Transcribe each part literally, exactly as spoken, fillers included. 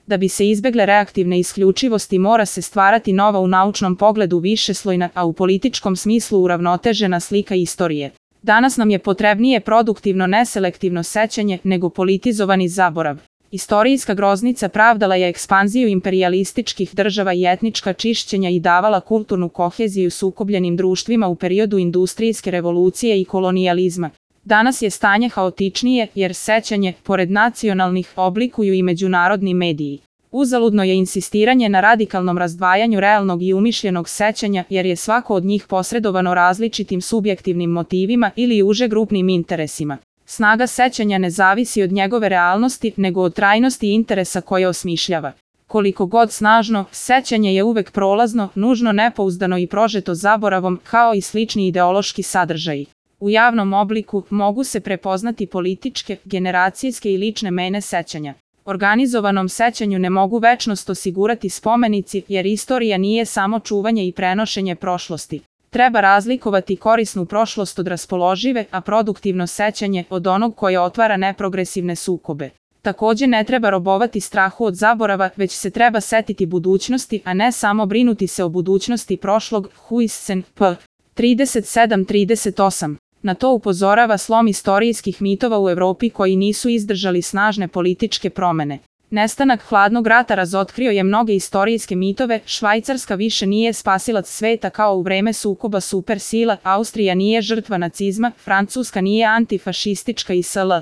Da bi se izbegle reaktivne isključivosti mora se stvarati nova u naučnom pogledu višeslojna, a u političkom smislu uravnotežena slika istorije. Danas nam je potrebnije produktivno neselektivno sećanje nego politizovani zaborav. Istorijska groznica pravdala je ekspanziju imperijalističkih država i etnička čišćenja i davala kulturnu koheziju sukobljenim društvima u periodu industrijske revolucije i kolonijalizma. Danas je stanje haotičnije jer sećanje, pored nacionalnih, oblikuju i međunarodni mediji. Uzaludno je insistiranje na radikalnom razdvajanju realnog i umišljenog sećanja jer je svako od njih posredovano različitim subjektivnim motivima ili uže grupnim interesima. Snaga sećanja ne zavisi od njegove realnosti nego od trajnosti interesa koje osmišljava. Koliko god snažno, sećanje je uvek prolazno, nužno nepouzdano i prožeto zaboravom, kao i slični ideološki sadržaji. U javnom obliku mogu se prepoznati političke, generacijske i lične mene sećanja. Organizovanom sećanju ne mogu večnost osigurati spomenici jer istorija nije samo čuvanje i prenošenje prošlosti. Treba razlikovati korisnu prošlost od raspoložive, a produktivno sećanje od onog koje otvara neprogresivne sukobe. Takođe ne treba robovati strahu od zaborava, već se treba setiti budućnosti, a ne samo brinuti se o budućnosti prošlog. Huijsen, p. trideset sedam trideset osam. Na to upozorava slom istorijskih mitova u Evropi koji nisu izdržali snažne političke promene. Nestanak hladnog rata razotkrio je mnoge istorijske mitove, Švajcarska više nije spasilac sveta kao u vreme sukoba supersila, Austrija nije žrtva nacizma, Francuska nije antifašistička i sl.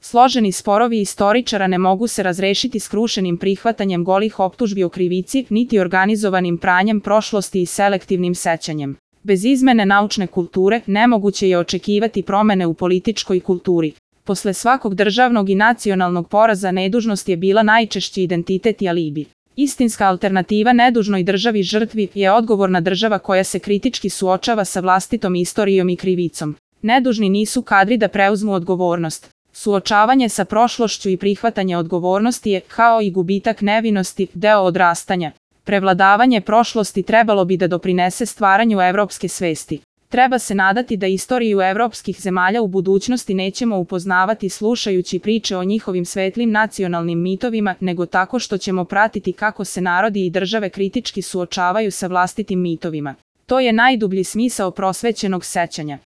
Složeni sporovi istoričara ne mogu se razrešiti skrušenim prihvatanjem golih optužbi o krivici, niti organizovanim pranjem prošlosti i selektivnim sećanjem. Bez izmene naučne kulture nemoguće je očekivati promene u političkoj kulturi. Posle svakog državnog i nacionalnog poraza nedužnost je bila najčešći identitet i alibi. Istinska alternativa nedužnoj državi žrtvi je odgovorna država koja se kritički suočava sa vlastitom istorijom i krivicom. Nedužni nisu kadri da preuzmu odgovornost. Suočavanje sa prošlošću i prihvatanje odgovornosti je, kao i gubitak nevinosti, deo odrastanja. Prevladavanje prošlosti trebalo bi da doprinese stvaranju evropske svesti. Treba se nadati da istoriju evropskih zemalja u budućnosti nećemo upoznavati slušajući priče o njihovim svetlim nacionalnim mitovima, nego tako što ćemo pratiti kako se narodi i države kritički suočavaju sa vlastitim mitovima. To je najdublji smisao prosvećenog sećanja.